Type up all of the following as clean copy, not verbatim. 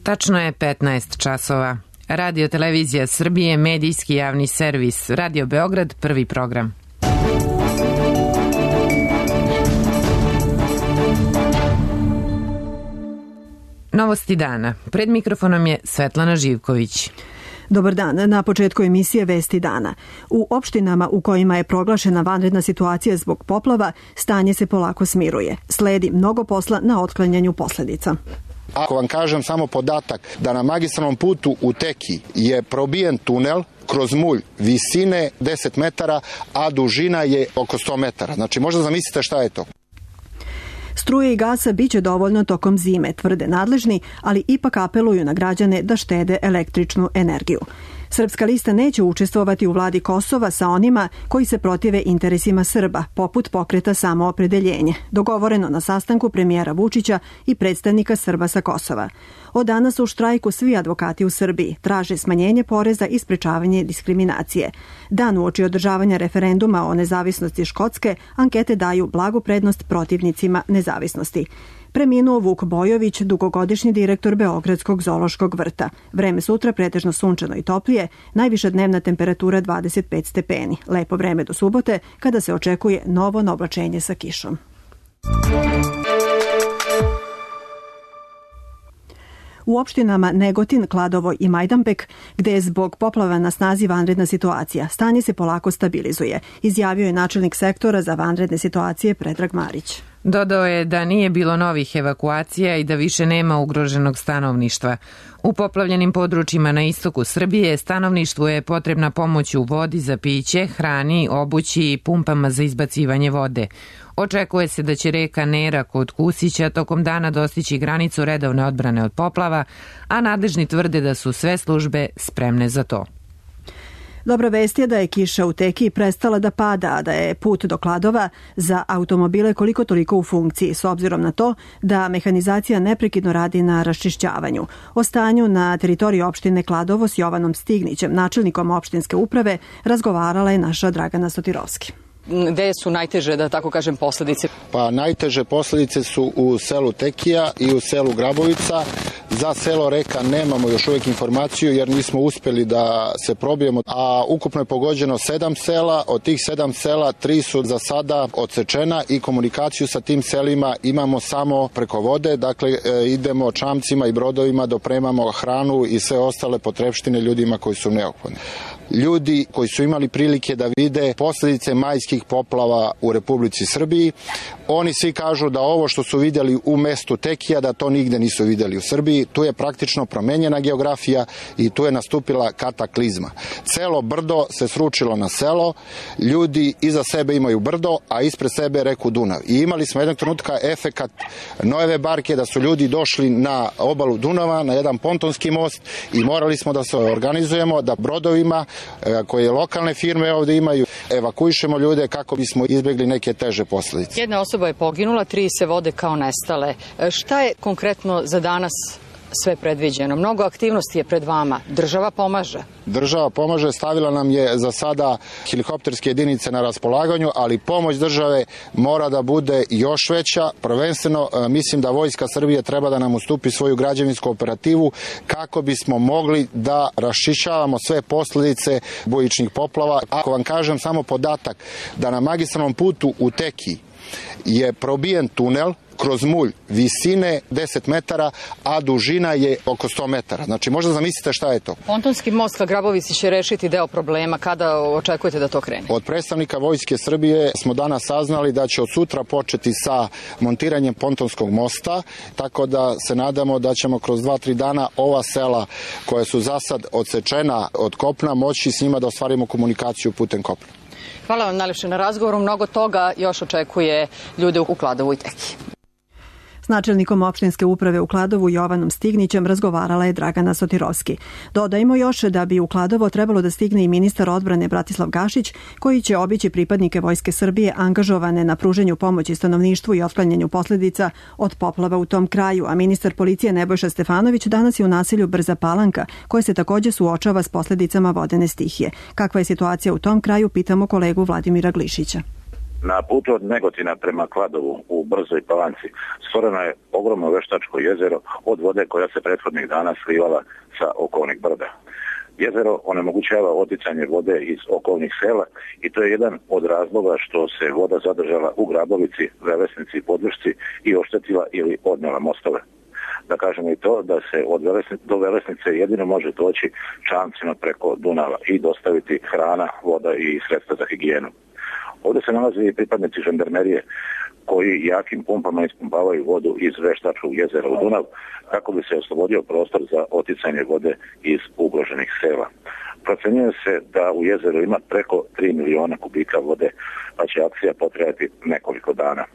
Tačno je 15 časova. Radio Televizija Srbije, medijski javni servis. Radio Beograd, prvi program. Novosti dana. Pred mikrofonom je Svetlana Živković. Dobar dan. Na početku emisije Vesti dana. U opštinama u kojima je proglašena vanredna situacija zbog poplava, stanje se polako smiruje. Sledi mnogo posla na otklanjanju posledica. Ako vam kažem samo podatak da na magistralnom putu u Teki je probijen tunel kroz mulj visine 10 metara, a dužina je oko 100 metara. Znači, možda zamislite šta je to. Struje i gasa biće dovoljno tokom zime, tvrde nadležni, ali ipak apeluju na građane da štede električnu energiju. Srpska lista neće učestvovati u vladi Kosova sa onima koji se protive interesima Srba, poput pokreta Samoopredeljenje, dogovoreno na sastanku premijera Vučića i predstavnika Srba sa Kosova. Od danas u štrajku svi advokati u Srbiji traže smanjenje poreza i sprečavanje diskriminacije. Dan uoči održavanja referenduma o nezavisnosti Škotske, ankete daju blagu prednost protivnicima nezavisnosti. Preminuo Vuk Bojović, dugogodišnji direktor Beogradskog zoološkog vrta. Vreme sutra pretežno sunčano i toplije, najviša dnevna temperatura 25 stepeni. Lepo vreme do subote, kada se očekuje novo naoblačenje sa kišom. U opštinama Negotin, Kladovo i Majdanpek, gde je zbog poplava na snazi vanredna situacija, stanje se polako stabilizuje, izjavio je načelnik sektora za vanredne situacije Predrag Marić. Dodao je da nije bilo novih evakuacija i da više nema ugroženog stanovništva. U poplavljenim područjima na istoku Srbije stanovništvu je potrebna pomoć u vodi za piće, hrani, obući i pumpama za izbacivanje vode. Očekuje se da će reka Nera kod Kusića tokom dana dostići granicu redovne odbrane od poplava, a nadležni tvrde da su sve službe spremne za to. Dobra vest je da je kiša u Teki prestala da pada, a da je put do Kladova za automobile koliko toliko u funkciji, s obzirom na to da mehanizacija neprekidno radi na raščišćavanju. O stanju na teritoriji opštine Kladovo s Jovanom Stignićem, načelnikom opštinske uprave, razgovarala je naša Dragana Sotirovski. Gde su najteže, da tako kažem, posledice? Pa najteže posledice su u selu Tekija i u selu Grabovica. Za selo Reka nemamo još uvijek informaciju jer nismo uspjeli da se probijemo, a ukupno je pogođeno 7 sela, od tih 7 sela 3 su za sada odsečena i komunikaciju sa tim selima imamo samo preko vode, dakle idemo čamcima i brodovima, dopremamo hranu i sve ostale potrepštine ljudima koji su neophodni. Ljudi koji su imali prilike da vide posljedice majskih poplava u Republici Srbiji, oni svi kažu da ovo što su vidjeli u mestu Tekija, da to nigde nisu vidjeli u Srbiji. Tu je praktično promenjena geografija i tu je nastupila kataklizma. Celo brdo se sručilo na selo, ljudi iza sebe imaju brdo, a ispred sebe reku Dunav. I imali smo jednog trenutka efekat Noeve barke, da su ljudi došli na obalu Dunava, na jedan pontonski most i morali smo da se organizujemo, da brodovima koje lokalne firme ovdje imaju, evakuišemo ljude kako bismo izbjegli neke teže posljedice. Jedna osoba je poginula, 3 se vode kao nestale. Šta je konkretno za danas sve predviđeno? Mnogo aktivnosti je pred vama. Država pomaže? Država pomaže, stavila nam je za sada helikopterske jedinice na raspolaganju, ali pomoć države mora da bude još veća. Prvenstveno mislim da Vojska Srbije treba da nam ustupi svoju građevinsku operativu kako bismo mogli da raščišćavamo sve posljedice bujičnih poplava. Ako vam kažem samo podatak da na magistralnom putu u Teki je probijen tunel kroz mulj visine 10 metara, a dužina je oko 100 metara. Znači, možda zamislite šta je to. Pontonski most ka Grabovici će rešiti deo problema. Kada očekujete da to krene? Od predstavnika Vojske Srbije smo danas saznali da će od sutra početi sa montiranjem pontonskog mosta, tako da se nadamo da ćemo kroz 2-3 dana ova sela koja su za sad odsečena od kopna moći s njima da ostvarimo komunikaciju putem kopna. Hvala vam najlepše na razgovoru. Mnogo toga još očekuje ljude u Kladovu i Teki. S načelnikom opštinske uprave u Kladovu Jovanom Stignićem razgovarala je Dragana Sotirovski. Dodajmo još da bi u Kladovo trebalo da stigne i ministar odbrane Bratislav Gašić, koji će obići pripadnike Vojske Srbije angažovane na pruženju pomoći stanovništvu i otklanjanju posljedica od poplava u tom kraju, a ministar policije Nebojša Stefanović danas je u naselju Brza Palanka, koje se također suočava s posljedicama vodene stihije. Kakva je situacija u tom kraju, pitamo kolegu Vladimira Glišića. Na putu od Negotina prema Kladovu u Brzoj Palanci stvoreno je ogromno veštačko jezero od vode koja se prethodnih dana slivala sa okolnih brda. Jezero onemogućava oticanje vode iz okolnih sela i to je jedan od razloga što se voda zadržala u Grabovici, Velesnici i Podvršci i oštetila ili odnela mostove. Da kažemo i to da se do Velesnice jedino može doći čamcima preko Dunava i dostaviti hrana, voda i sredstva za higijenu. Ovdje se nalaze i pripadnici žandarmerije koji jakim pumpama ispumpavaju vodu iz veštačkog jezera u Dunav kako bi se oslobodio prostor za oticanje vode iz ugroženih sela. Procenjuje se da u jezeru ima preko 3 miliona kubika vode, pa će akcija potrajati nekoliko dana.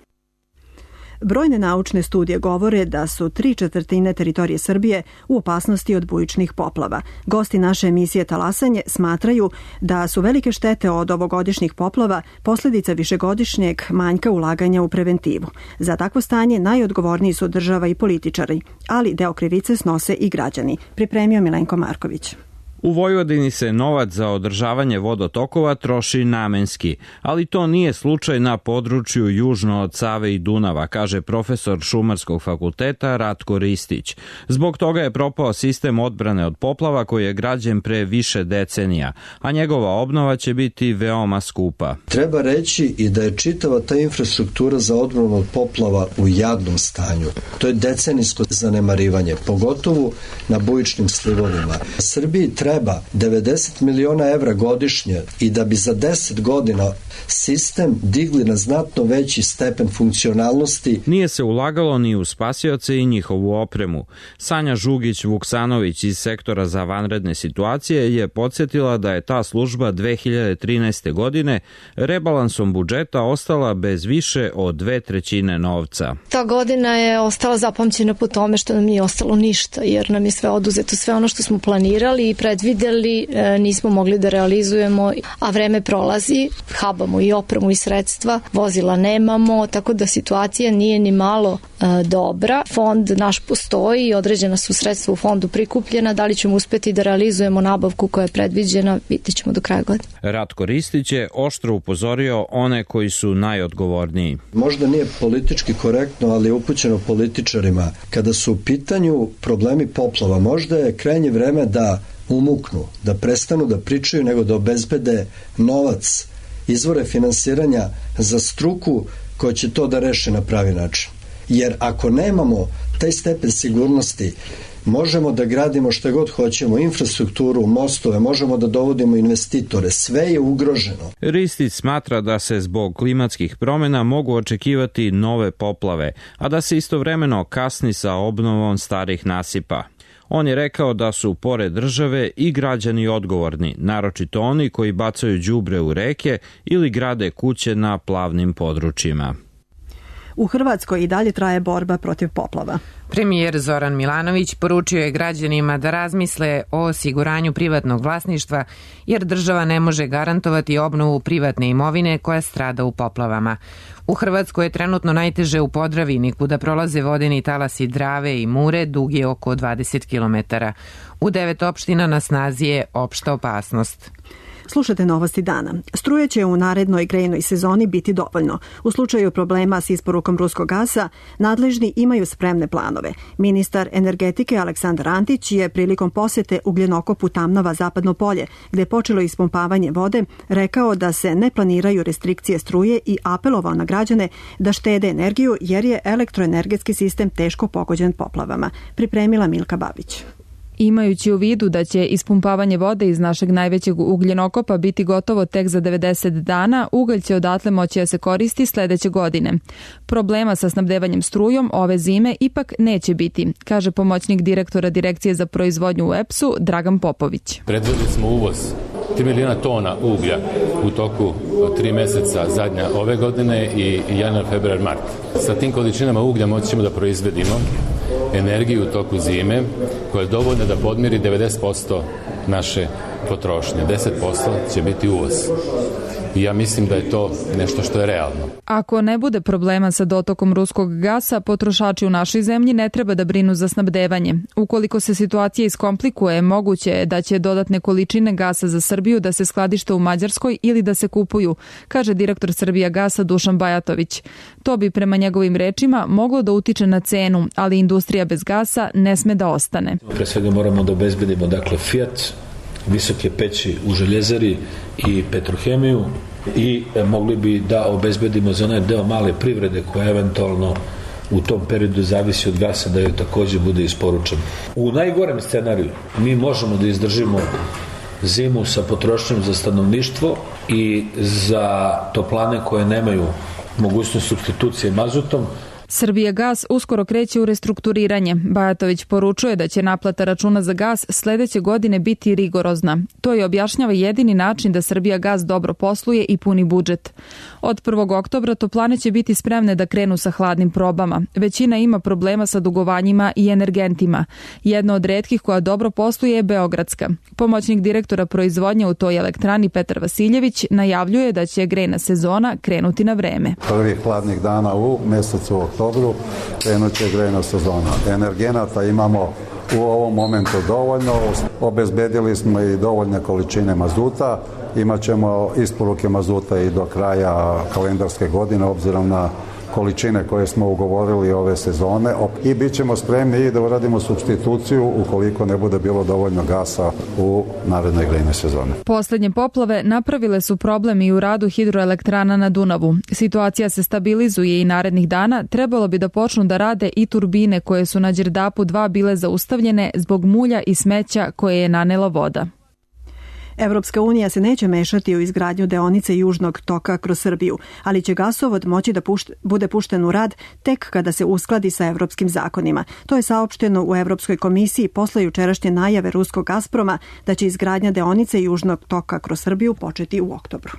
Brojne naučne studije govore da su 3/4 teritorije Srbije u opasnosti od bujičnih poplava. Gosti naše emisije Talasanje smatraju da su velike štete od ovogodišnjih poplava posljedica višegodišnjeg manjka ulaganja u preventivu. Za takvo stanje najodgovorniji su država i političari, ali deo krivice snose i građani. Pripremio Milenko Marković. U Vojvodini se novac za održavanje vodotokova troši namenski, ali to nije slučaj na području južno od Save i Dunava, kaže profesor Šumarskog fakulteta Ratko Ristić. Zbog toga je propao sistem odbrane od poplava koji je građen pre više decenija, a njegova obnova će biti veoma skupa. Treba reći i da je čitava ta infrastruktura za odbranu od poplava u jadnom stanju. To je decenijsko zanemarivanje, pogotovo na bujičnim slivovima. Srbiji treba 90 miliona evra godišnje i da bi za 10 godina sistem digli na znatno veći stepen funkcionalnosti. Nije se ulagalo ni u spasioce i njihovu opremu. Sanja Žugić-Vuksanović iz sektora za vanredne situacije je podsjetila da je ta služba 2013. godine rebalansom budžeta ostala bez više od 2/3 novca. Ta godina je ostala zapamćena po tome što nam nije ostalo ništa, jer nam je sve oduzeto, sve ono što smo planirali i predvideli nismo mogli da realizujemo, a vreme prolazi, habamo i opremu i sredstva, vozila nemamo, tako da situacija nije ni malo dobra. Fond naš postoji i određena su sredstva u fondu prikupljena, da li ćemo uspeti da realizujemo nabavku koja je predviđena, vidjet ćemo do kraja godine. Ratko Ristić je oštro upozorio one koji su najodgovorniji. Možda nije politički korektno, ali je upućeno političarima. Kada su u pitanju problemi poplava, možda je krajnje vreme da umuknu, da prestanu da pričaju, nego da obezbede novac, izvore finansiranja za struku koja će to da reši na pravi način. Jer ako nemamo taj stepen sigurnosti, možemo da gradimo šta god hoćemo, infrastrukturu, mostove, možemo da dovodimo investitore, sve je ugroženo. Ristić smatra da se zbog klimatskih promjena mogu očekivati nove poplave, a da se istovremeno kasni sa obnovom starih nasipa. On je rekao da su pored države i građani odgovorni, naročito oni koji bacaju đubre u reke ili grade kuće na plavnim područjima. U Hrvatskoj i dalje traje borba protiv poplava. Premijer Zoran Milanović poručio je građanima da razmisle o osiguranju privatnog vlasništva, jer država ne može garantovati obnovu privatne imovine koja strada u poplavama. U Hrvatskoj je trenutno najteže u Podravini, kuda prolaze vodeni talasi Drave i Mure, dugi oko 20 km. U 9 opština na snazi je opšta opasnost. Slušate novosti dana. Struje će u narednoj grejnoj sezoni biti dovoljno. U slučaju problema s isporukom ruskog gasa, nadležni imaju spremne planove. Ministar energetike Aleksandar Antić je prilikom posete ugljenokopu Tamnava Zapadno polje, gde je počelo ispumpavanje vode, rekao da se ne planiraju restrikcije struje i apelovao na građane da štede energiju jer je elektroenergetski sistem teško pogođen poplavama. Pripremila Milka Babić. Imajući u vidu da će ispumpavanje vode iz našeg najvećeg ugljenokopa biti gotovo tek za 90 dana, ugalj će odatle moći da se koristi sledeće godine. Problema sa snabdevanjem strujom ove zime ipak neće biti, kaže pomoćnik direktora Direkcije za proizvodnju u EPS-u Dragan Popović. Predvideli smo uvoz 3 miliona tona uglja u toku 3 meseca zadnja ove godine i januar, februar, mart. Sa tim količinama uglja moći ćemo da proizvedimo energiju u toku zime koja je dovoljna da podmiri 90% naše potrošnje. 10% će biti uvoz. i ja mislim da je to nešto što je realno. Ako ne bude problema sa dotokom ruskog gasa, potrošači u našoj zemlji ne treba da brinu za snabdevanje. Ukoliko se situacija iskomplikuje, moguće je da će dodatne količine gasa za Srbiju da se skladište u Mađarskoj ili da se kupuju, kaže direktor Srbijagasa Dušan Bajatović. To bi prema njegovim rečima moglo da utiče na cenu, ali industrija bez gasa ne sme da ostane. Pre svega moramo da obezbedimo Fiat, visoke peći u željezari i petrohemiju i mogli bi da obezbedimo za onaj deo male privrede koja eventualno u tom periodu zavisi od gasa da joj takođe bude isporučen. U najgorem scenariju mi možemo da izdržimo zimu sa potrošnjom za stanovništvo i za toplane koje nemaju mogućnost supstitucije mazutom. Srbijagas uskoro kreće u restrukturiranje. Bajatović poručuje da će naplata računa za gas sledeće godine biti rigorozna. To je objašnjava jedini način da Srbijagas dobro posluje i puni budžet. Od 1. oktobra toplane će biti spremne da krenu sa hladnim probama. Većina ima problema sa dugovanjima i energentima. Jedna od retkih koja dobro posluje je Beogradska. Pomoćnik direktora proizvodnje u toj elektrani Petar Vasiljević najavljuje da će grejna sezona krenuti na vreme. Prvih hladnih dana u mesecu oktobru krenut će grejna sezona. Energenata imamo u ovom momentu dovoljno. Obezbedili smo i dovoljne količine mazuta. Imaćemo isporuke mazuta i do kraja kalendarske godine obzirom na količine koje smo ugovorili ove sezone i bit ćemo spremni i da uradimo supstituciju ukoliko ne bude bilo dovoljno gasa u narednoj grejnoj sezoni. Poslednje poplave napravile su problem i u radu hidroelektrana na Dunavu. Situacija se stabilizuje i narednih dana trebalo bi da počnu da rade i turbine koje su na Đerdapu 2 bile zaustavljene zbog mulja i smeća koje je nanela voda. Evropska unija se neće mešati u izgradnju deonice Južnog toka kroz Srbiju, ali će gasovod moći da bude pušten u rad tek kada se uskladi sa evropskim zakonima. To je saopšteno u Evropskoj komisiji posle jučerašnje najave ruskog Gazproma da će izgradnja deonice Južnog toka kroz Srbiju početi u oktobru.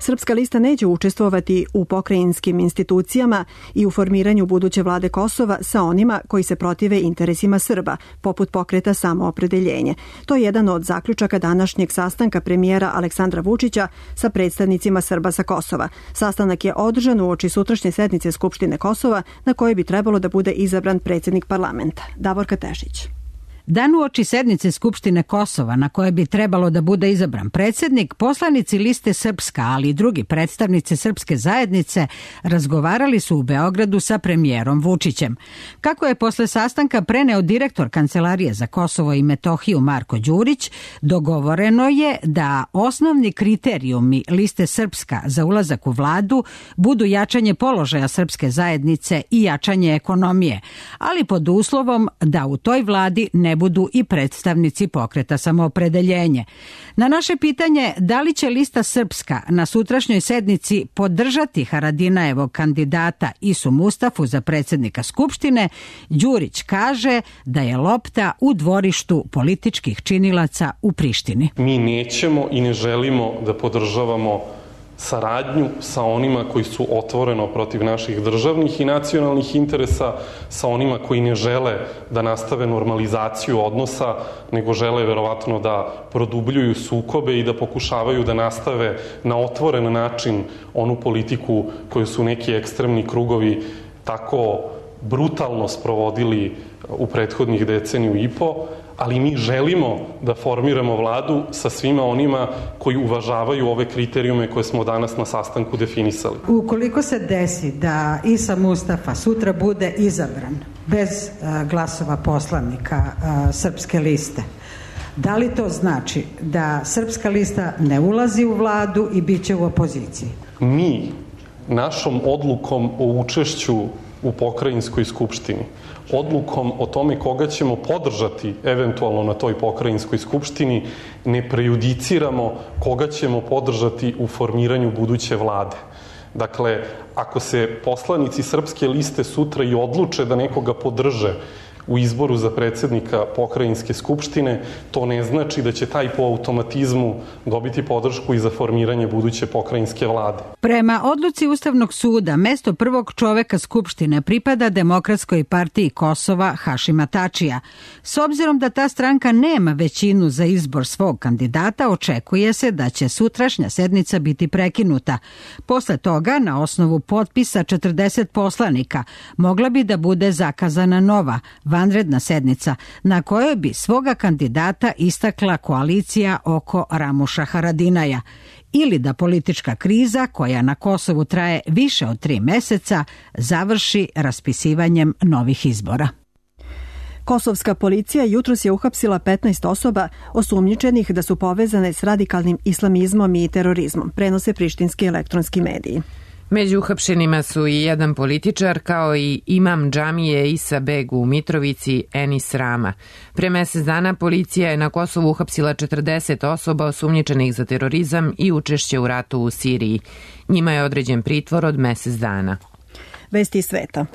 Srpska lista neće učestvovati u pokrajinskim institucijama i u formiranju buduće vlade Kosova sa onima koji se protive interesima Srba, poput pokreta Samoopredeljenje. To je jedan od zaključaka današnjeg sastanka premijera Aleksandra Vučića sa predstavnicima Srba sa Kosova. Sastanak je održan uoči sutrašnje sednice Skupštine Kosova na kojoj bi trebalo da bude izabran predsjednik parlamenta. Davorka Tešić. Dan uoči sednice Skupštine Kosova na koje bi trebalo da bude izabran predsjednik, poslanici liste Srpska, ali i drugi predstavnici srpske zajednice razgovarali su u Beogradu sa premijerom Vučićem. Kako je posle sastanka preneo direktor Kancelarije za Kosovo i Metohiju Marko Đurić, dogovoreno je da osnovni kriterijumi liste Srpska za ulazak u vladu budu jačanje položaja srpske zajednice i jačanje ekonomije, ali pod uslovom da u toj vladi ne budu i predstavnici pokreta Samoopredeljenje. Na naše pitanje da li će lista Srpska na sutrašnjoj sednici podržati Haradinajevog kandidata Isu Mustafu za predsjednika Skupštine, Đurić kaže da je lopta u dvorištu političkih činilaca u Prištini. Mi nećemo i ne želimo da podržavamo saradnju sa onima koji su otvoreno protiv naših državnih i nacionalnih interesa, sa onima koji ne žele da nastave normalizaciju odnosa, nego žele verovatno da produbljuju sukobe i da pokušavaju da nastave na otvoren način onu politiku koju su neki ekstremni krugovi tako brutalno sprovodili u prethodnih deceniju i po, ali mi želimo da formiramo vladu sa svima onima koji uvažavaju ove kriterijume koje smo danas na sastanku definisali. Ukoliko se desi da Isa Mustafa sutra bude izabran bez glasova poslanika Srpske liste, da li to znači da Srpska lista ne ulazi u vladu i bit će u opoziciji? Mi našom odlukom o učešću u pokrajinskoj skupštini, odlukom o tome koga ćemo podržati eventualno na toj pokrajinskoj skupštini, ne prejudiciramo koga ćemo podržati u formiranju buduće vlade. Dakle, ako se poslanici Srpske liste sutra i odluče da nekoga podrže u izboru za predsjednika pokrajinske skupštine, to ne znači da će taj po automatizmu dobiti podršku i za formiranje buduće pokrajinske vlade. Prema odluci Ustavnog suda, mesto prvog čoveka Skupštine pripada Demokratskoj partiji Kosova Hašima Tačija. S obzirom da ta stranka nema većinu za izbor svog kandidata, očekuje se da će sutrašnja sednica biti prekinuta. Posle toga, na osnovu potpisa 40 poslanika, mogla bi da bude zakazana nova, vanredna sednica, na kojoj bi svoga kandidata istakla koalicija oko Ramuša Haradinaja, ili da politička kriza, koja na Kosovu traje više od 3 meseca, završi raspisivanjem novih izbora. Kosovska policija jutros je uhapsila 15 osoba osumnjičenih da su povezane s radikalnim islamizmom i terorizmom, prenose prištinski elektronski mediji. Među uhapšenima su i jedan političar, kao i imam džamije Isa Beg u Mitrovici, Enis Rama. Pre mesec dana policija je na Kosovu uhapsila 40 osoba osumnjičenih za terorizam i učešće u ratu u Siriji. Njima je određen pritvor od mesec dana. Vesti sveta.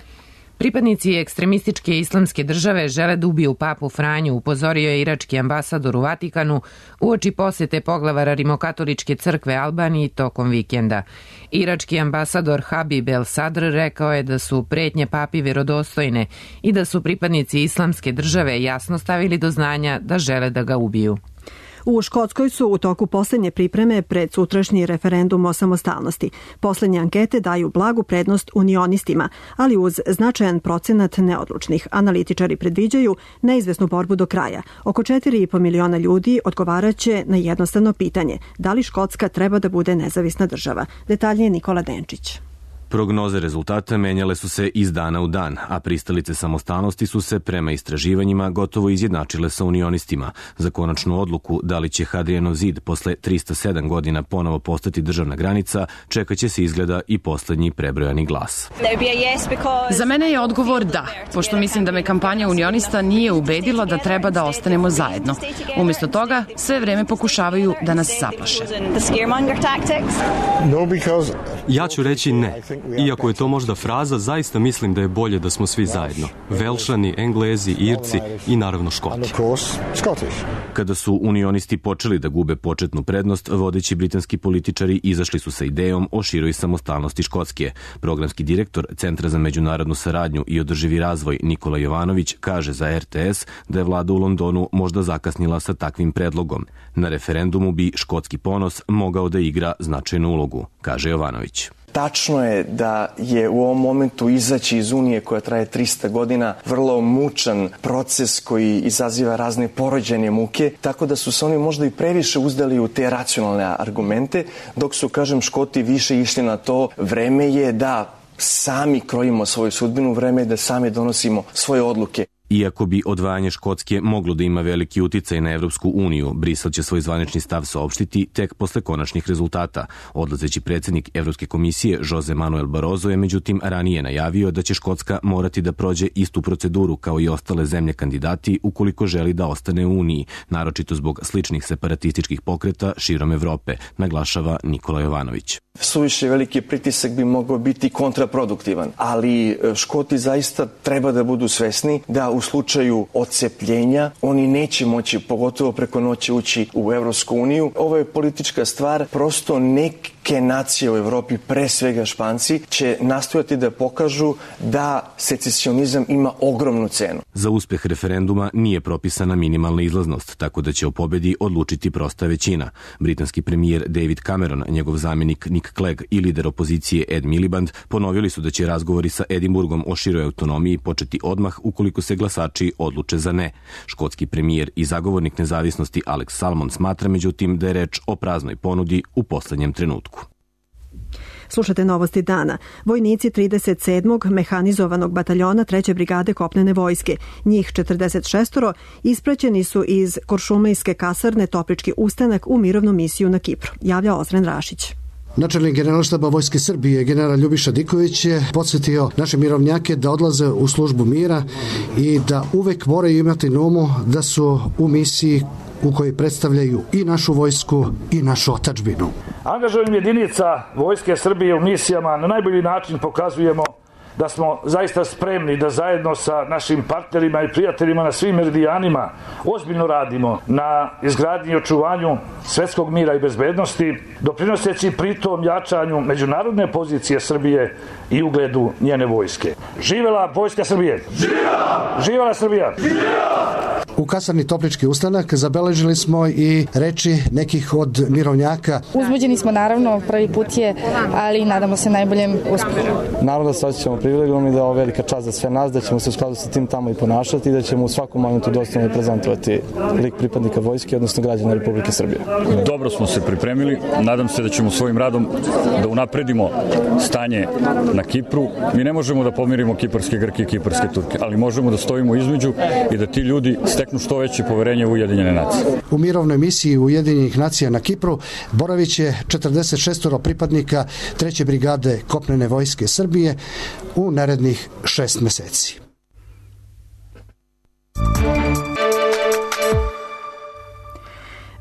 Pripadnici ekstremističke islamske države žele da ubiju papu Franju, upozorio je irački ambasador u Vatikanu uoči posete poglavara Rimokatoličke crkve Albaniji tokom vikenda. Irački ambasador Habib El Sadr rekao je da su pretnje papi verodostojne i da su pripadnici islamske države jasno stavili do znanja da žele da ga ubiju. U Škotskoj su u toku poslednje pripreme pred sutrašnji referendum o samostalnosti. Poslednje ankete daju blagu prednost unionistima, ali uz značajan procenat neodlučnih. Analitičari predviđaju neizvesnu borbu do kraja. Oko 4,5 miliona ljudi odgovaraće na jednostavno pitanje: da li Škotska treba da bude nezavisna država? Detaljnije Nikola Denčić. Prognoze rezultata menjale su se iz dana u dan, a pristalice samostalnosti su se prema istraživanjima gotovo izjednačile sa unionistima. Za konačnu odluku da li će Hadrianov zid posle 307 godina ponovo postati državna granica, čekaće se izgleda i poslednji prebrojani glas. Za mene je odgovor da, pošto mislim da me kampanja unionista nije ubedila da treba da ostanemo zajedno. Umjesto toga, sve vreme pokušavaju da nas zaplaše. Ja ću reći ne. Iako je to možda fraza, zaista mislim da je bolje da smo svi zajedno. Velšani, Englezi, Irci i naravno Škoti. Kada su unionisti počeli da gube početnu prednost, vodeći britanski političari izašli su sa idejom o široj samostalnosti Škotske. Programski direktor Centra za međunarodnu saradnju i održivi razvoj Nikola Jovanović kaže za RTS da je vlada u Londonu možda zakasnila sa takvim predlogom. Na referendumu bi škotski ponos mogao da igra značajnu ulogu, kaže Jovanović. Tačno je da je u ovom momentu izaći iz Unije koja traje 300 godina vrlo mučan proces koji izaziva razne porođajne muke, tako da su se oni možda i previše uzdali u te racionalne argumente, dok su, kažem, Škoti više išli na to. Vreme je da sami krojimo svoju sudbinu, vreme je da sami donosimo svoje odluke. Iako bi odvajanje Škotske moglo da ima veliki uticaj na Evropsku uniju, Brisel će svoj zvanični stav saopštiti tek posle konačnih rezultata. Odlazeći predsjednik Evropske komisije Jose Manuel Barroso je međutim ranije najavio da će Škotska morati da prođe istu proceduru kao i ostale zemlje kandidati ukoliko želi da ostane u Uniji, naročito zbog sličnih separatističkih pokreta širom Evrope, naglašava Nikola Jovanović. Suviše veliki pritisak bi mogao biti kontraproduktivan, ali Škoti zaista treba da budu svesni da u slučaju odcepljenja oni neće moći, pogotovo preko noći, ući u Evropsku uniju. Ovo je politička stvar, prosto neke nacije u Evropi, pre svega Španci, će nastojati da pokažu da secesionizam ima ogromnu cenu. Za uspeh referenduma nije propisana minimalna izlaznost, tako da će o pobedi odlučiti prosta većina. Britanski premijer David Cameron, njegov zamjenik Nick Clegg i lider opozicije Ed Miliband ponovili su da će razgovori sa Edinburgom o široj autonomiji početi odmah ukoliko se glasači odluče za ne. Škotski premijer i zagovornik nezavisnosti Alex Salmond smatra međutim da je reč o praznoj ponudi u poslednjem trenutku. Slušate novosti dana. Vojnici 37. mehanizovanog bataljona 3. brigade kopnene vojske, njih 46, ispraćeni su iz Kuršumlijske kasarne Toplički ustanak u mirovnu misiju na Kipru, javlja Ozren Rašić. Načelnik Generalštaba Vojske Srbije, general Ljubiša Diković, je podsjetio naše mirovnjake da odlaze u službu mira i da uvek moraju imati na umu da su u misiji u kojoj predstavljaju i našu vojsku i našu otadžbinu. Angažovanjem jedinica Vojske Srbije u misijama na najbolji način pokazujemo da smo zaista spremni da zajedno sa našim partnerima i prijateljima na svim meridijanima ozbiljno radimo na izgradnji i očuvanju svetskog mira i bezbednosti, doprinoseći pritom jačanju međunarodne pozicije Srbije i ugledu njene vojske. Živela Vojska Srbije! Živela! Živela Srbija! Živela! U kasarni Toplički ustanak zabeležili smo i reči nekih od mirovnjaka. Uzbuđeni smo naravno, prvi put je, ali nadamo se najboljem uspehu. Naravno da se osjećamo privilegijom i da je ovo velika čast za sve nas, da ćemo se u skladu sa tim tamo i ponašati i da ćemo u svakom momentu dostojno prezentovati lik pripadnika vojske, odnosno građana Republike Srbije. Dobro smo se pripremili, nadam se da ćemo svojim radom da unapredimo stanje na Kipru. Mi ne možemo da pomirimo kiparske Grke i kiparske Turke, ali možemo da stojimo između i da ti ljudi steknu što veće poverenje u Ujedinjene nacije. U mirovnoj misiji Ujedinjenih nacija na Kipru boraviće 46 pripadnika 3. brigade kopnene vojske Srbije u narednih 6 meseci.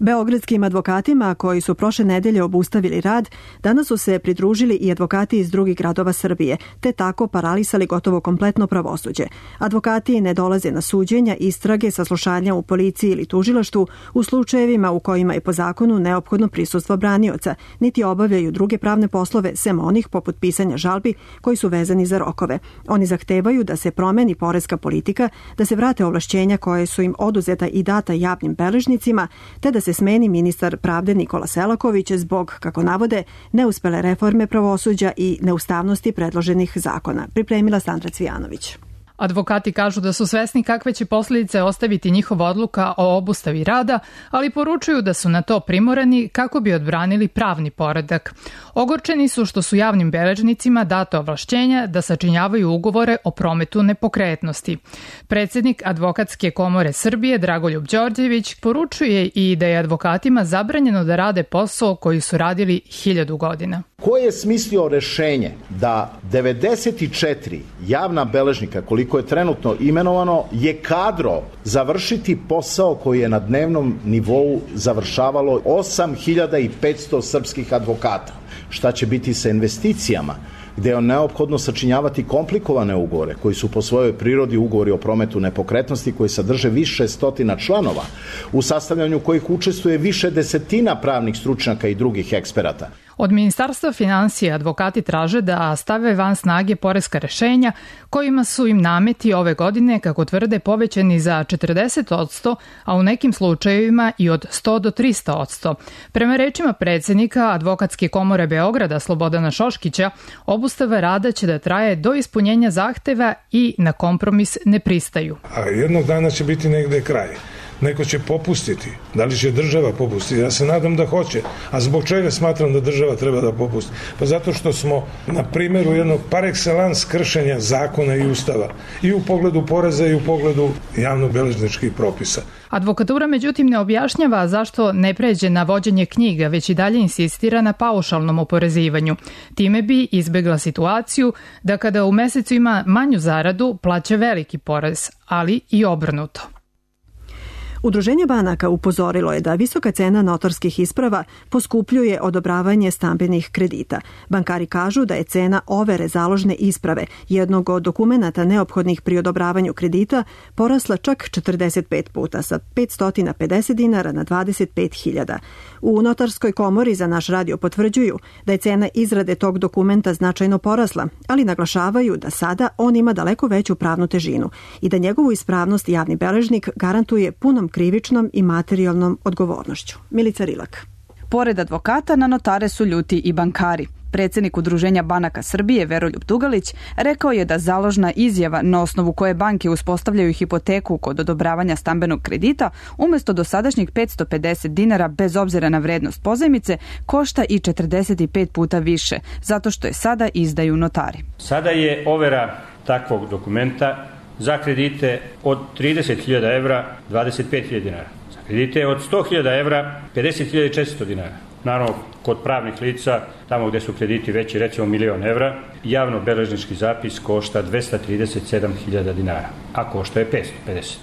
Beogradskim advokatima koji su prošle nedelje obustavili rad, danas su se pridružili i advokati iz drugih gradova Srbije, te tako paralisali gotovo kompletno pravosuđe. Advokati ne dolaze na suđenja, istrage, saslušanja u policiji ili tužilaštvu u slučajevima u kojima je po zakonu neophodno prisustvo branioca, niti obavljaju druge pravne poslove sem onih poput pisanja žalbi koji su vezani za rokove. Oni zahtevaju da se promeni poreska politika, da se vrate ovlašćenja koje su im oduzeta i data javnim beležnicima, te da se smeni ministar pravde Nikola Selaković zbog, kako navode, neuspele reforme pravosuđa i neustavnosti predloženih zakona. Pripremila Sandra Cvijanović. Advokati kažu da su svesni kakve će posljedice ostaviti njihova odluka o obustavi rada, ali poručuju da su na to primorani kako bi odbranili pravni poredak. Ogorčeni su što su javnim beležnicima dato ovlašćenja da sačinjavaju ugovore o prometu nepokretnosti. Predsjednik Advokatske komore Srbije Dragoljub Đorđević poručuje i da je advokatima zabranjeno da rade posao koji su radili 1000 godina. Ko je smislio rešenje da 94 javna beležnika, koliko je trenutno imenovano, je kadro završiti posao koji je na dnevnom nivou završavalo 8500 srpskih advokata? Šta će biti sa investicijama, gde je neophodno sačinjavati komplikovane ugovore, koji su po svojoj prirodi ugovori o prometu nepokretnosti, koji sadrže više stotina članova, u sastavljanju kojih učestvuje više desetina pravnih stručnjaka i drugih eksperata. Od Ministarstva finansija advokati traže da stave van snage poreska rešenja kojima su im nameti ove godine, kako tvrde, povećani za 40%, a u nekim slučajevima i od 100 do 300%. Prema rečima predsjednika Advokatske komore Beograda Slobodana Šoškića, obustava rada će da traje do ispunjenja zahteva i na kompromis ne pristaju. A jednog dana će biti negde kraj. Neko će popustiti. Da li će država popustiti? Ja se nadam da hoće. A zbog čega smatram da država treba da popusti? Pa zato što smo na primjeru jednog par excellence kršenja zakona i ustava. I u pogledu poreza i u pogledu javno-beležničkih propisa. Advokatura međutim ne objašnjava zašto ne pređe na vođenje knjiga, već i dalje insistira na paušalnom oporezivanju. Time bi izbegla situaciju da kada u mesecu ima manju zaradu plaća veliki porez, ali i obrnuto. Udruženje banaka upozorilo je da visoka cena notarskih isprava poskupljuje odobravanje stambenih kredita. Bankari kažu da je cena overe založne isprave, jednog od dokumenata neophodnih pri odobravanju kredita, porasla čak 45 puta, sa 550 dinara na 25.000. U Notarskoj komori za naš radio potvrđuju da je cena izrade tog dokumenta značajno porasla, ali naglašavaju da sada on ima daleko veću pravnu težinu i da njegovu ispravnost javni beležnik garantuje punom krivičnom i materijalnom odgovornošću. Milica Rilak. Pored advokata, na notare su ljuti i bankari. Predsjednik Udruženja banaka Srbije Veroljub Dugalić rekao je da založna izjava na osnovu koje banke uspostavljaju hipoteku kod odobravanja stambenog kredita umjesto dosadašnjih 550 dinara bez obzira na vrednost pozajmice košta i 45 puta više, zato što je sada izdaju notari. Sada je overa takvog dokumenta za kredite od 30.000 evra 25.000 dinara. Za kredite od 100.000 evra 50.400 dinara. Naravno, kod pravnih lica, tamo gdje su krediti veći, recimo 1.000.000 evra, javno-beležnički zapis košta 237.000 dinara, a košta je 550.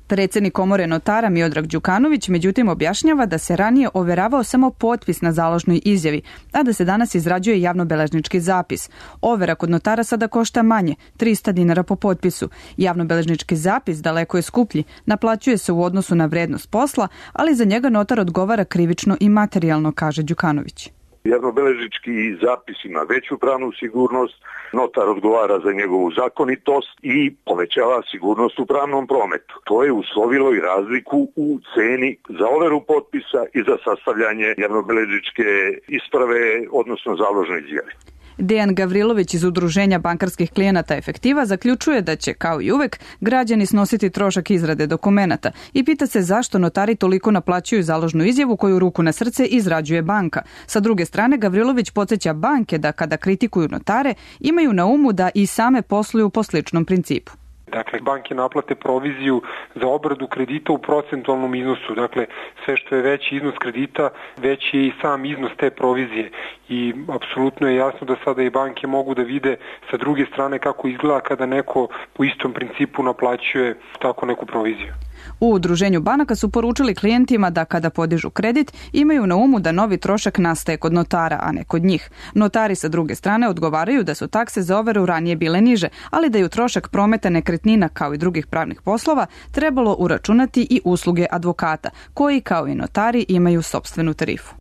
Predsednik komore notara Miodrag Đukanović međutim objašnjava da se ranije overavao samo potpis na založnoj izjavi, a da se danas izrađuje javnobeležnički zapis. Overa kod notara sada košta manje, 300 dinara po potpisu. Javnobeležnički zapis daleko je skuplji, naplaćuje se u odnosu na vrednost posla, ali za njega notar odgovara krivično i materijalno, kaže Đukanović. Javnobeležnički zapis ima veću pravnu sigurnost, notar odgovara za njegovu zakonitost i povećava sigurnost u pravnom prometu. To je uslovilo i razliku u ceni za overu potpisa i za sastavljanje javnobeležničke isprave, odnosno založne izjave. Dejan Gavrilović iz Udruženja bankarskih klijenata Efektiva zaključuje da će, kao i uvek, građani snositi trošak izrade dokumenata i pita se zašto notari toliko naplaćuju založnu izjavu koju ruku na srce izrađuje banka. Sa druge strane, Gavrilović podsjeća banke da kada kritikuju notare, imaju na umu da i same posluju po sličnom principu. Dakle, banke naplate proviziju za obradu kredita u procentualnom iznosu. Dakle, sve što je veći iznos kredita, veći je i sam iznos te provizije. I apsolutno je jasno da sada i banke mogu da vide sa druge strane kako izgleda kada neko po istom principu naplaćuje tako neku proviziju. U Udruženju banaka su poručili klijentima da kada podižu kredit imaju na umu da novi trošak nastaje kod notara, a ne kod njih. Notari sa druge strane odgovaraju da su takse za overu ranije bile niže, ali da je u trošak prometa nekretnina kao i drugih pravnih poslova trebalo uračunati i usluge advokata, koji kao i notari imaju sopstvenu tarifu.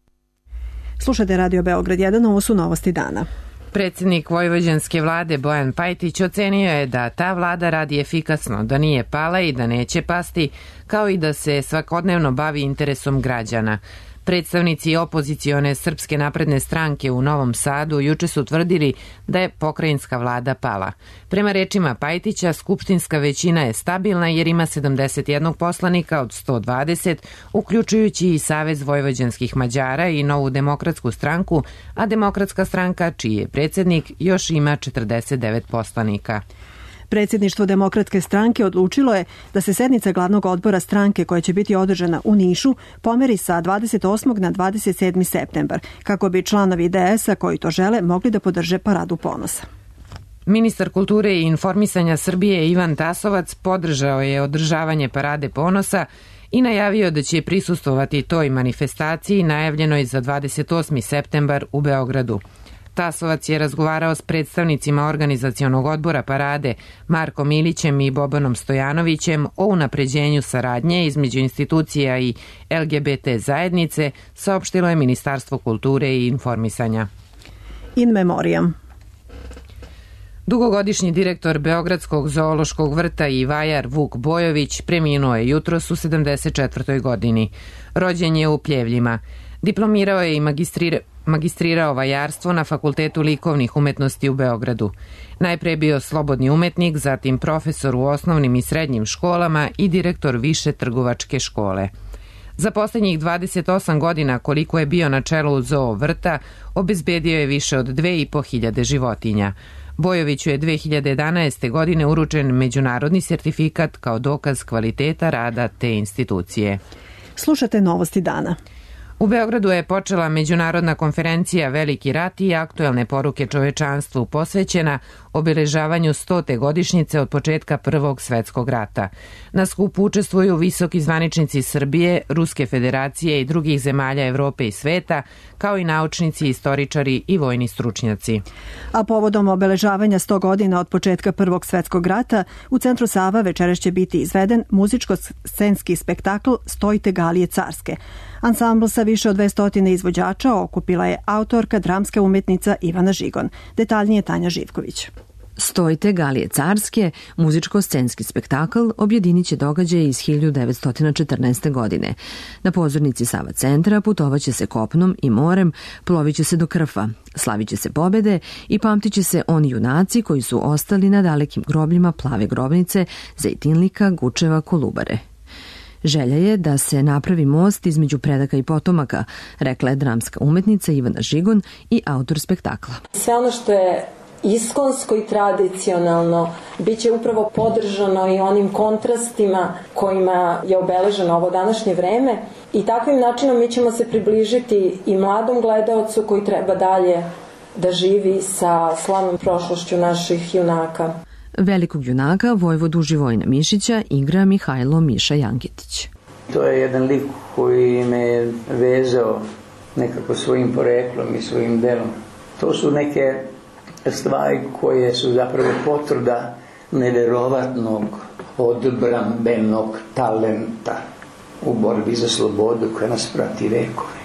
Slušajte Radio Beograd 1, ovo su novosti dana. Predsjednik vojvođanske vlade Bojan Pajtić ocenio je da ta vlada radi efikasno, da nije pala i da neće pasti, kao i da se svakodnevno bavi interesom građana. Predstavnici opozicione Srpske napredne stranke u Novom Sadu juče su tvrdili da je pokrajinska vlada pala. Prema rečima Pajtića, skupštinska većina je stabilna jer ima 71 poslanika od 120, uključujući i Savez vojvođanskih Mađara i Novu demokratsku stranku, a Demokratska stranka, čiji je predsjednik, još ima 49 poslanika. Predsjedništvo Demokratske stranke odlučilo je da se sednica glavnog odbora stranke koja će biti održana u Nišu pomeri sa 28. na 27. septembar, kako bi članovi DS-a koji to žele mogli da podrže paradu ponosa. Ministar kulture i informisanja Srbije Ivan Tasovac podržao je održavanje parade ponosa i najavio da će prisustvovati toj manifestaciji najavljenoj za 28. septembar u Beogradu. Tasovac je razgovarao s predstavnicima organizacionog odbora parade Markom Milićem i Bobanom Stojanovićem o unapređenju saradnje između institucija i LGBT zajednice, saopštilo je Ministarstvo kulture i informisanja. In memoriam. Dugogodišnji direktor Beogradskog zoološkog vrta i vajar Vuk Bojović preminuo je jutros u 74. godini. Rođen je u Pljevljima. Diplomirao je i magistrirao vajarstvo na Fakultetu likovnih umetnosti u Beogradu. Najpre je bio slobodni umetnik, zatim profesor u osnovnim i srednjim školama i direktor više trgovačke škole. Za posljednjih 28 godina koliko je bio na čelu zoo vrta, obezbedio je više od 2500 životinja. Bojoviću je 2011. godine uručen međunarodni sertifikat kao dokaz kvaliteta rada te institucije. Slušate novosti dana. U Beogradu je počela međunarodna konferencija Veliki rat i aktuelne poruke čovečanstvu posvećena obeležavanju 100. godišnjice od početka Prvog svetskog rata. Na skupu učestvuju visoki zvaničnici Srbije, Ruske federacije i drugih zemalja Evrope i sveta, kao i naučnici, istoričari i vojni stručnjaci. A povodom obeležavanja 100 godina od početka Prvog svetskog rata, u centru Sava večeras će biti izveden muzičko-scenski spektakl Stojte galije carske. Ansambl sa više od 200 izvođača okupila je autorka, dramska umetnica Ivana Žigon. Detaljnije Tanja Živković. Stojte galije carske, muzičko-scenski spektakl objedinit će događaje iz 1914. godine. Na pozornici Sava centra putovaće se kopnom i morem, plovit će se do Krfa, slavit će se pobede i pamtit će se oni junaci koji su ostali na dalekim grobljima Plave grobnice, Zejtinlika, Gučeva, Kolubare. Želja je da se napravi most između predaka i potomaka, rekla je dramska umetnica Ivana Žigon i autor spektakla. Sve ono što je iskonsko i tradicionalno biće upravo podržano i onim kontrastima kojima je obeleženo ovo današnje vreme i takvim načinom mi ćemo se približiti i mladom gledaocu koji treba dalje da živi sa slavnom prošlošću naših junaka. Velikog junaka vojvodu Živojina Mišića igra Mihajlo Miša Janketić. To je jedan lik koji me vezao nekako svojim poreklom i svojim delom. To su neke stvari koje su zapravo potvrda neverovatnog odbrambenog talenta u borbi za slobodu koja nas prati vekove.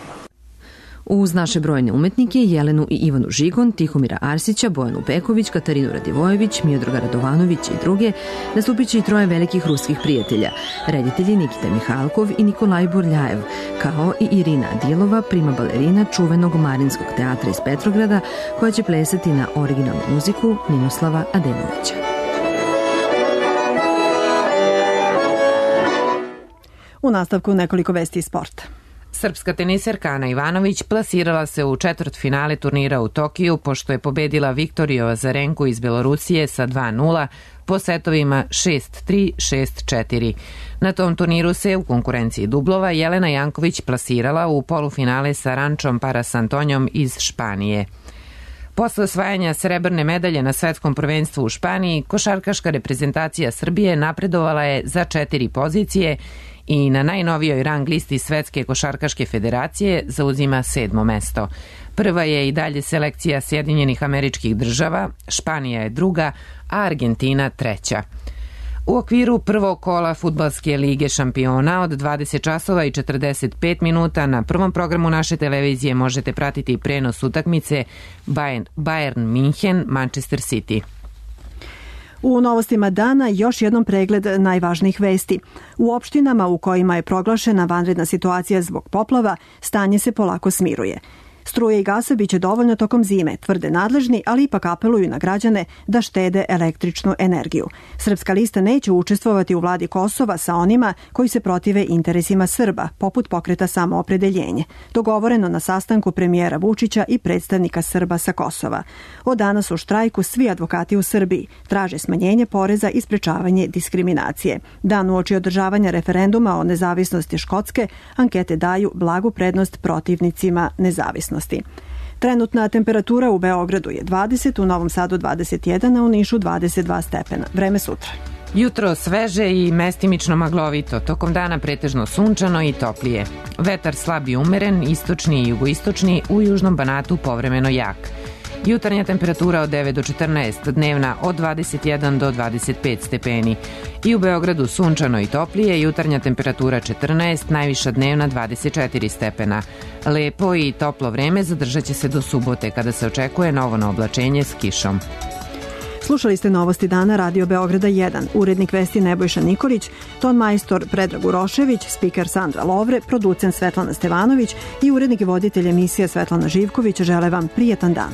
Uz naše brojne umetnike Jelenu i Ivanu Žigon, Tihomira Arsića, Bojanu Peković, Katarinu Radivojević, Miodraga Radovanović i druge, nastupit će i troje velikih ruskih prijatelja, reditelji Nikita Mihalkov i Nikolaj Burljajev, kao i Irina Adilova, prima balerina čuvenog Marinskog teatra iz Petrograda, koja će plesati na originalnu muziku Ninoslava Ademovića. U nastavku nekoliko vesti iz sporta. Srpska teniserka Ana Ivanović plasirala se u četvrtfinale turnira u Tokiju pošto je pobedila Viktoriju Azarenku iz Belorusije sa 2:0 po setovima 6-3, 6-4. Na tom turniru se u konkurenciji dublova Jelena Janković plasirala u polufinale sa Rančom Parasantonjom iz Španije. Posle osvajanja srebrne medalje na svetskom prvenstvu u Španiji, košarkaška reprezentacija Srbije napredovala je za 4 pozicije i na najnovijoj rang listi Svetske košarkaške federacije zauzima 7. mesto. Prva je i dalje selekcija Sjedinjenih Američkih Država, Španija je druga, a Argentina treća. U okviru prvog kola Fudbalske lige šampiona od 20 časova i 45 minuta na prvom programu naše televizije možete pratiti prenos utakmice Bayern München Manchester City. U novostima dana još jednom pregled najvažnijih vesti. U opštinama u kojima je proglašena vanredna situacija zbog poplava, stanje se polako smiruje. Struje i gasa biće dovoljno tokom zime, tvrde nadležni, ali ipak apeluju na građane da štede električnu energiju. Srpska lista neće učestvovati u vladi Kosova sa onima koji se protive interesima Srba, poput pokreta Samoopredeljenje, dogovoreno na sastanku premijera Vučića i predstavnika Srba sa Kosova. Od danas u štrajku svi advokati u Srbiji traže smanjenje poreza i sprečavanje diskriminacije. Dan uoči održavanja referenduma o nezavisnosti Škotske, ankete daju blagu prednost protivnicima nezavisnosti. Trenutna temperatura u Beogradu je 20, u Novom Sadu 21, a u Nišu 22 stepena. Vreme sutra. Jutro sveže i mestimično maglovito, tokom dana pretežno sunčano i toplije. Vetar slab i umeren, istočni i jugoistočni, u južnom Banatu povremeno jak. Jutarnja temperatura od 9 do 14, dnevna od 21 do 25 stepeni. I u Beogradu sunčano i toplije, jutarnja temperatura 14, najviša dnevna 24 stepena. Lepo i toplo vreme zadržat će se do subote, kada se očekuje novo oblačenje s kišom. Slušali ste novosti dana Radio Beograda 1, urednik vesti Nebojša Nikolić, ton majstor Predrag Urošević, spiker Sandra Lovre, producent Svetlana Stevanović i urednik i voditelj emisije Svetlana Živković žele vam prijetan dan.